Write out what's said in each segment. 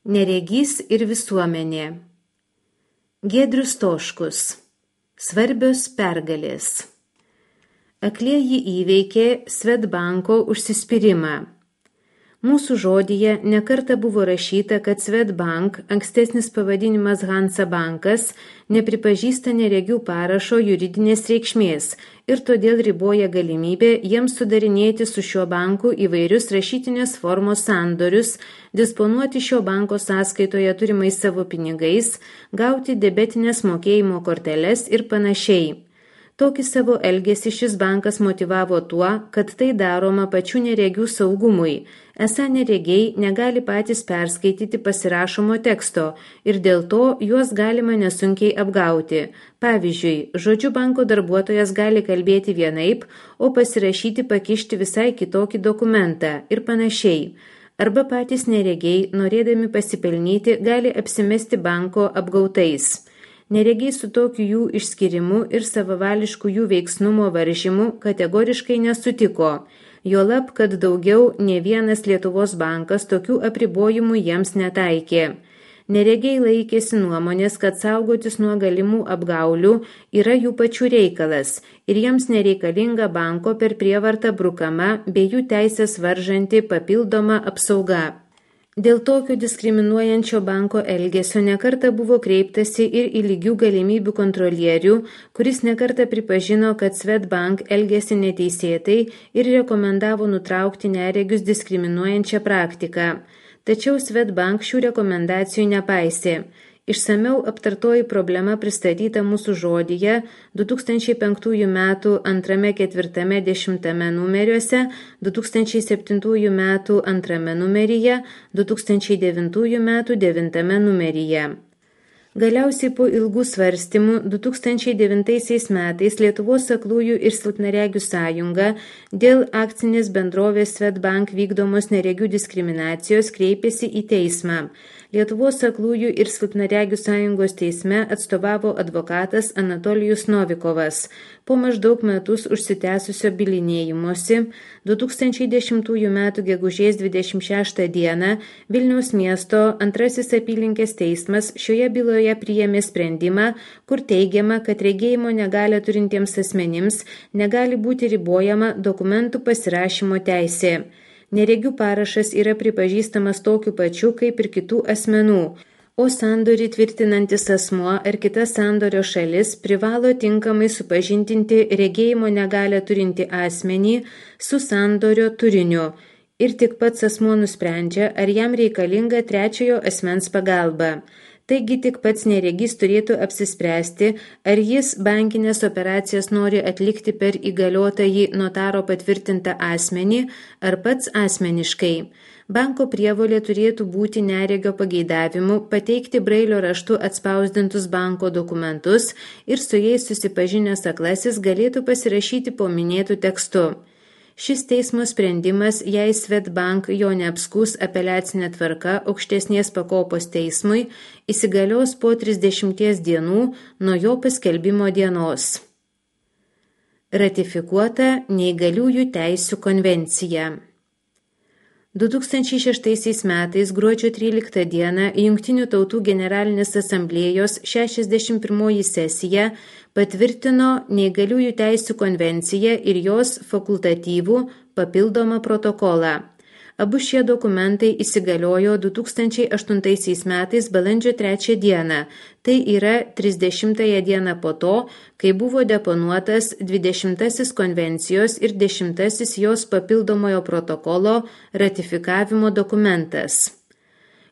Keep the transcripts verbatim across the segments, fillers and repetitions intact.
Neregys ir visuomenė. Giedrius Stoškus. Svarbios pergalės. Aklieji įveikė Swedbanko užsispyrimą. Mūsų žodyje nekarta buvo rašyta, kad Swedbank, ankstesnis pavadinimas Hansa bankas, nepripažįsta neregių parašo juridinės reikšmės ir todėl riboja galimybę jiems sudarinėti su šiuo banku įvairius rašytinės formos sandorius, disponuoti šio banko sąskaitoje turimais savo pinigais, gauti debetinės mokėjimo korteles ir panašiai. Tokį savo elgesį šis bankas motyvavo tuo, kad tai daroma pačių neregių saugumui, esą neregiai negali patys perskaityti pasirašomo teksto ir dėl to juos galima nesunkiai apgauti. Pavyzdžiui, žodžiu banko darbuotojas gali kalbėti vienaip, o pasirašyti pakišti visai kitokį dokumentą ir panašiai. Arba patys neregiai, norėdami pasipelnyti, gali apsimesti banko apgautais. Neregiai su tokiu jų išskirimu ir savavališku jų veiksnumo varžymu kategoriškai nesutiko, juolab, kad daugiau ne vienas Lietuvos bankas tokių apribojimų jiems netaikė. Neregiai laikėsi nuomonės, kad saugotis nuo galimų apgaulių yra jų pačių reikalas ir jiems nereikalinga banko per prievartą brukama bei jų teisės varžanti papildoma apsauga. Dėl tokio diskriminuojančio banko elgesio nekarta buvo kreiptasi ir į lygių galimybių kontrolierių, kuris nekarta pripažino, kad Swedbank elgėsi neteisėtai ir rekomendavo nutraukti neregius diskriminuojančią praktiką. Tačiau Swedbank šių rekomendacijų nepaisė. Išsamiau aptartoji problema pristatyta mūsų žodyje du tūkstančiai penktųjų metų antrame ketvirtame dešimtame numeriuose, du tūkstančiai septintųjų metų antrame numeryje, du tūkstančiai devintųjų metų devintame numeryje. Galiausiai po ilgų svarstymų du tūkstančiai devintaisiais metais Lietuvos aklųjų ir silpnaregių sąjunga dėl akcinės bendrovės Swedbank vykdomos neregių diskriminacijos kreipėsi į teismą. Lietuvos aklųjų ir silpnaregių sąjungos teisme atstovavo advokatas Anatolijus Novikovas. Po maždaug metus užsitęsusio bylinėjimosi du tūkstančiai dešimtųjų metų gegužės dvidešimt šeštą dieną Vilniaus miesto antrasis apylinkės teismas šioje byloje priėmė sprendimą, kur teigiama, kad regėjimo negalią turintiems asmenims negali būti ribojama dokumentų pasirašymo teisė. Neregių parašas yra pripažįstamas tokiu pačiu kaip ir kitų asmenų, o sandorį tvirtinantis asmuo ar kita sandorio šalis privalo tinkamai supažindinti regėjimo negalią turinti asmenį su sandorio turiniu ir tik pats asmuo nusprendžia, ar jam reikalinga trečiojo asmens pagalba. Taigi tik pats neregys turėtų apsispręsti, ar jis bankinės operacijas nori atlikti per įgaliotąjį notaro patvirtintą asmenį ar pats asmeniškai. Banko prievolė turėtų būti neregio pageidavimu pateikti brailio raštu atspausdintus banko dokumentus ir su jais susipažinęs aklasis galėtų pasirašyti po minėtų tekstu. Šis teismo sprendimas, jei Swedbank jo neapskūs apeliacinė tvarka aukštesnės pakopos teismui, įsigalios po trisdešimties dienų nuo jo paskelbimo dienos. Ratifikuota Neįgaliųjų teisių konvencija. du tūkstančiai šeštaisiais metais gruodžio tryliktą dieną Jungtinių tautų generalinės asamblėjos šešiasdešimt pirmoji sesija patvirtino Neįgaliųjų teisių konvenciją ir jos fakultatyvų papildomą protokolą. Abu šie dokumentai įsigaliojo du tūkstančiai aštuntaisiais metais balandžio trečią dieną, tai yra trisdešimtąją dieną po to, kai buvo deponuotas dvidešimtasis konvencijos ir dešimtasis jos papildomojo protokolo ratifikavimo dokumentas.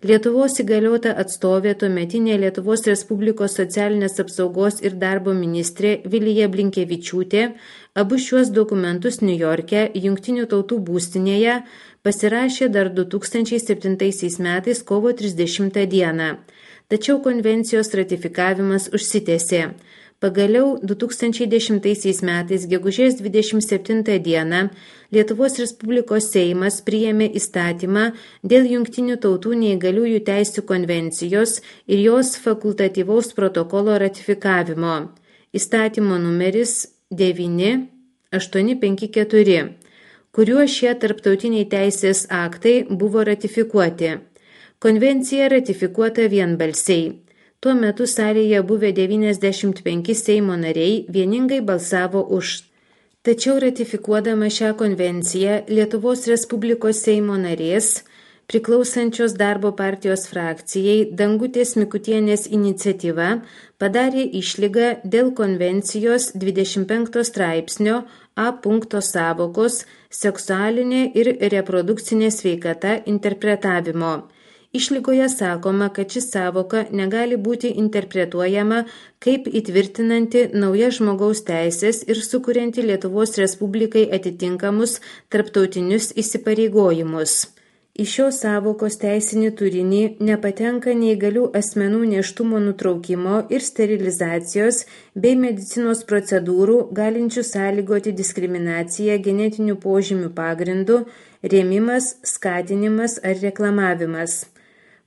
Lietuvos įgaliota atstovė tuometinė Lietuvos Respublikos socialinės apsaugos ir darbo ministrė Vilija Blinkevičiūtė abu šiuos dokumentus Niujorke, Jungtinių tautų būstinėje, pasirašė dar du tūkstančiai septintaisiais metais kovo trisdešimtą dieną. Tačiau konvencijos ratifikavimas užsitęsė. Pagaliau du tūkstančiai dešimtaisiais metais gegužės dvidešimt septintą dieną Lietuvos Respublikos Seimas priėmė įstatymą dėl Jungtinių tautų neįgaliųjų teisių konvencijos ir jos fakultatyvaus protokolo ratifikavimo. Įstatymo numeris devyni aštuoni penki keturi, kuriuo šie tarptautiniai teisės aktai buvo ratifikuoti. Konvencija ratifikuota vienbalsiai. Tuo metu salėje buvę devyniasdešimt penki Seimo nariai vieningai balsavo už. Tačiau ratifikuodama šią konvenciją Lietuvos Respublikos Seimo narės, priklausančios Darbo partijos frakcijai Dangutės Mikutienės iniciatyva padarė išlygą dėl konvencijos dvidešimt penkto straipsnio A punkto sąvokos seksualinė ir reprodukcinė sveikata interpretavimo. Išlygoje sakoma, kad ši sąvoka negali būti interpretuojama kaip įtvirtinanti naujas žmogaus teisės ir sukurianti Lietuvos Respublikai atitinkamus tarptautinius įsipareigojimus. Į šios sąvokos teisinį turinį nepatenka neįgalių asmenų nėštumo nutraukimo ir sterilizacijos bei medicinos procedūrų galinčių sąlygoti diskriminaciją genetinių požymių pagrindų, rėmimas, skatinimas ar reklamavimas.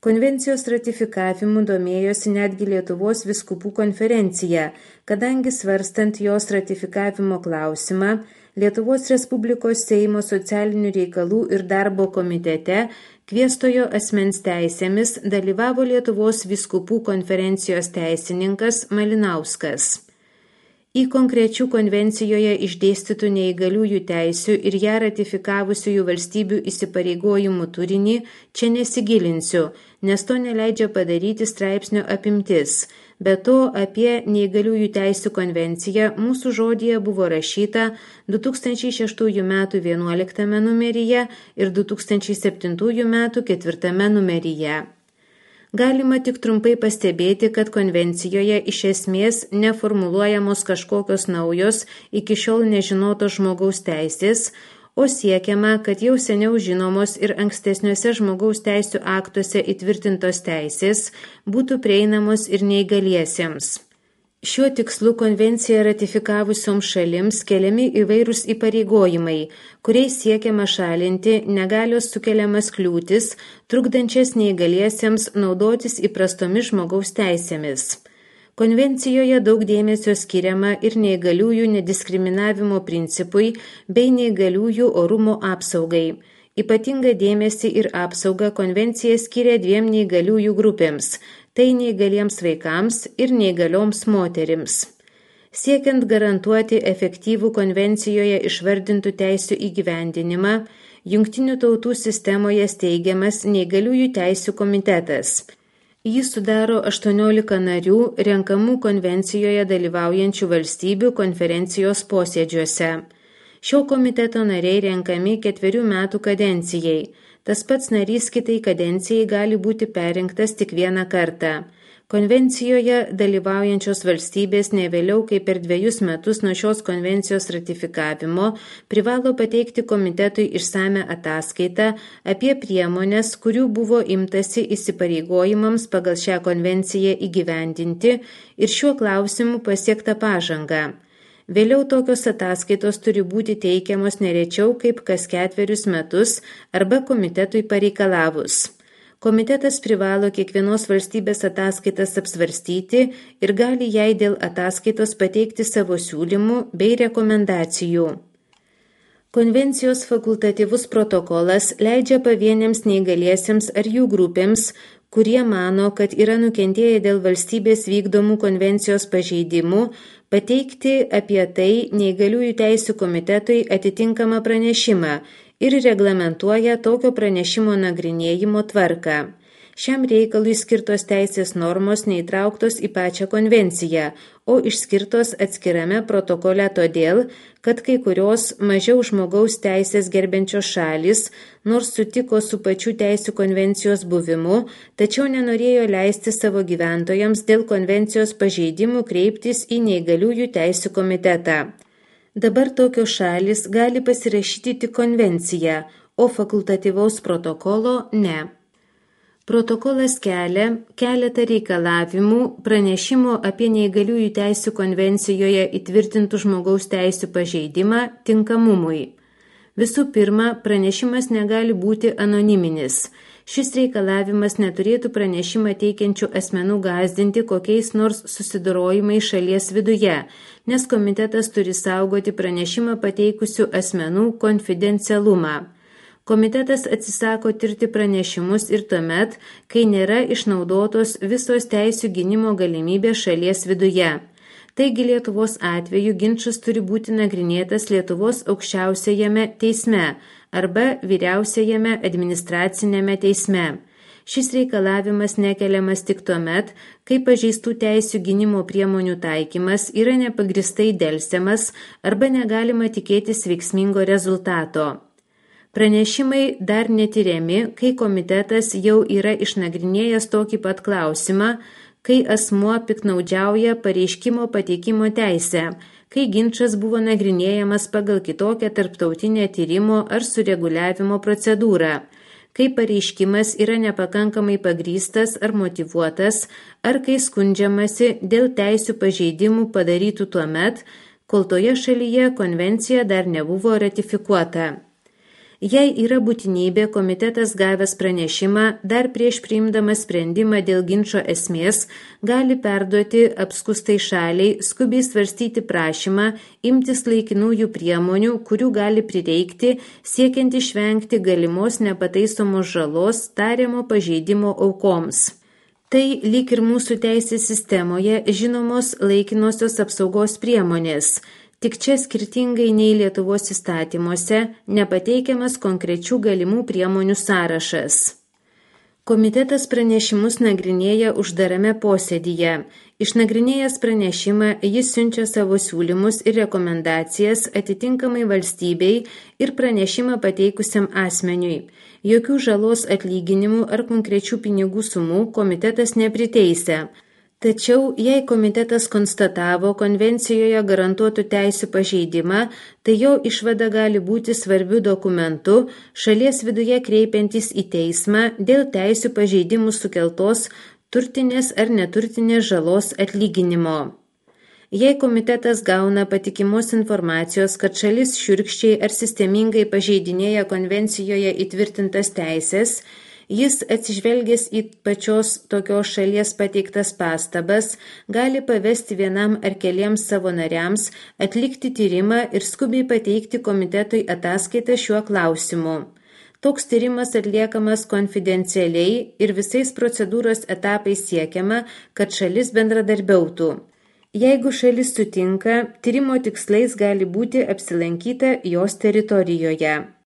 Konvencijos ratifikavimu domėjosi netgi Lietuvos vyskupų konferencija, kadangi svarstant jos ratifikavimo klausimą, Lietuvos Respublikos Seimo socialinių reikalų ir darbo komitete kviestojo asmens teisėmis dalyvavo Lietuvos vyskupų konferencijos teisininkas Malinauskas. Į konkrečių konvencijoje išdėstytų neįgaliųjų teisių ir ją ratifikavusiųjų valstybių įsipareigojimų turinį čia nesigilinsiu, nes to neleidžia padaryti straipsnio apimtis. Be to, apie neįgaliųjų teisių konvenciją mūsų žodyje buvo rašyta du tūkstančiai šeštųjų metų vienuoliktame numeryje ir du tūkstančiai septintųjų metų ketvirtame numeryje. Galima tik trumpai pastebėti, kad konvencijoje iš esmės neformuluojamos kažkokios naujos iki šiol nežinotos žmogaus teisės, o siekiama, kad jau seniau žinomos ir ankstesniuose žmogaus teisių aktuose įtvirtintos teisės būtų prieinamos ir neįgaliesiems. Šiuo tikslu konvenciją ratifikavusioms šalims keliami įvairūs įpareigojimai, kuriais siekiama šalinti negalios sukeliamas kliūtis, trukdančias neįgaliesiems naudotis įprastomis žmogaus teisėmis. Konvencijoje daug dėmesio skiriama ir neįgaliųjų nediskriminavimo principui bei neįgaliųjų orumo apsaugai. Ypatingą dėmesį ir apsaugą konvencija skiria dviem neįgaliųjų grupėms – tai neįgaliems vaikams ir neįgalioms moterims. Siekiant garantuoti efektyvų konvencijoje išvardintų teisių įgyvendinimą, Jungtinių tautų sistemoje steigiamas neįgaliųjų teisių komitetas. Jį sudaro aštuoniolika narių renkamų konvencijoje dalyvaujančių valstybių konferencijos posėdžiuose. Šio komiteto nariai renkami ketverių metų kadencijai. Tas pats narys kitai kadencijai gali būti perrinktas tik vieną kartą. Konvencijoje dalyvaujančios valstybės ne vėliau kaip per dviejus metus nuo šios konvencijos ratifikavimo privalo pateikti komitetui išsame ataskaitą apie priemones, kurių buvo imtasi įsipareigojimams pagal šią konvenciją įgyvendinti ir šiuo klausimu pasiektą pažangą. Vėliau tokios ataskaitos turi būti teikiamos nerečiau kaip kas ketverius metus arba komitetui pareikalavus. Komitetas privalo kiekvienos valstybės ataskaitas apsvarstyti ir gali jai dėl ataskaitos pateikti savo siūlymų bei rekomendacijų. Konvencijos fakultatyvus protokolas leidžia pavieniams neįgaliesiems ar jų grupėms, kurie mano, kad yra nukentėję dėl valstybės vykdomų konvencijos pažeidimų, pateikti apie tai neįgaliųjų teisių komitetui atitinkamą pranešimą ir reglamentuoja tokio pranešimo nagrinėjimo tvarką. Šiam reikalui skirtos teisės normos neįtrauktos į pačią konvenciją, o išskirtos atskirame protokole todėl, kad kai kurios mažiau žmogaus teisės gerbiančios šalys, nors sutiko su pačių teisių konvencijos buvimu, tačiau nenorėjo leisti savo gyventojams dėl konvencijos pažeidimų kreiptis į neįgaliųjų teisių komitetą. Dabar tokios šalys gali pasirašyti tik konvenciją, o fakultatyvaus protokolo ne. Protokolas kelia keletą reikalavimų pranešimo apie neįgaliųjų teisių konvencijoje įtvirtintų žmogaus teisių pažeidimą tinkamumui. Visų pirma, pranešimas negali būti anoniminis. Šis reikalavimas neturėtų pranešimą teikiančių asmenų gąsdinti kokiais nors susidorojimais šalies viduje, nes komitetas turi saugoti pranešimą pateikusių asmenų konfidencialumą. Komitetas atsisako tirti pranešimus ir tuomet, kai nėra išnaudotos visos teisių gynimo galimybės šalies viduje. Taigi Lietuvos atveju ginčas turi būti nagrinėtas Lietuvos aukščiausiajame teisme arba vyriausiajame administracinėme teisme. Šis reikalavimas nekeliamas tik tuomet, kai pažeistų teisių gynimo priemonių taikymas yra nepagristai delsiamas arba negalima tikėtis veiksmingo rezultato. Pranešimai dar netyriami, kai komitetas jau yra išnagrinėjęs tokį pat klausimą, kai asmuo piktnaudžiauja pareiškimo pateikimo teisę, kai ginčas buvo nagrinėjamas pagal kitokią tarptautinę tyrimo ar sureguliavimo procedūrą, kai pareiškimas yra nepakankamai pagrįstas ar motyvuotas, ar kai skundžiamasi dėl teisių pažeidimų padarytų tuomet, kol toje šalyje konvencija dar nebuvo ratifikuota. Jei yra būtinybė, komitetas gavęs pranešimą dar prieš priimdamas sprendimą dėl ginčo esmės gali perduoti apskustai šaliai skubiai svarstyti prašymą imtis laikinųjų priemonių, kurių gali prireikti siekiant išvengti galimos nepataisomos žalos tariamo pažeidimo aukoms. Tai lyg ir mūsų teisės sistemoje žinomos laikinosios apsaugos priemonės. Tik čia skirtingai nei Lietuvos įstatymuose nepateikiamas konkrečių galimų priemonių sąrašas. Komitetas pranešimus nagrinėja uždarame posėdyje. Išnagrinėjęs pranešimą, jis siunčia savo siūlymus ir rekomendacijas atitinkamai valstybei ir pranešimą pateikusiam asmeniui. Jokių žalos atlyginimų ar konkrečių pinigų sumų komitetas nepriteisia. Tačiau, jei komitetas konstatavo konvencijoje garantuotų teisių pažeidimą, tai jo išvada gali būti svarbiu dokumentu šalies viduje kreipiantis į teismą dėl teisių pažeidimų sukeltos turtinės ar neturtinės žalos atlyginimo. Jei komitetas gauna patikimos informacijos, kad šalis šiurkščiai ar sistemingai pažeidinėja konvencijoje įtvirtintas teisės, jis, atsižvelgęs į pačios tokios šalies pateiktas pastabas, gali pavesti vienam ar keliems savo nariams atlikti tyrimą ir skubiai pateikti komitetui ataskaitą šiuo klausimu. Toks tyrimas atliekamas konfidencialiai ir visais procedūros etapais siekiama, kad šalis bendradarbiautų. Jeigu šalis sutinka, tyrimo tikslais gali būti apsilankyta jos teritorijoje.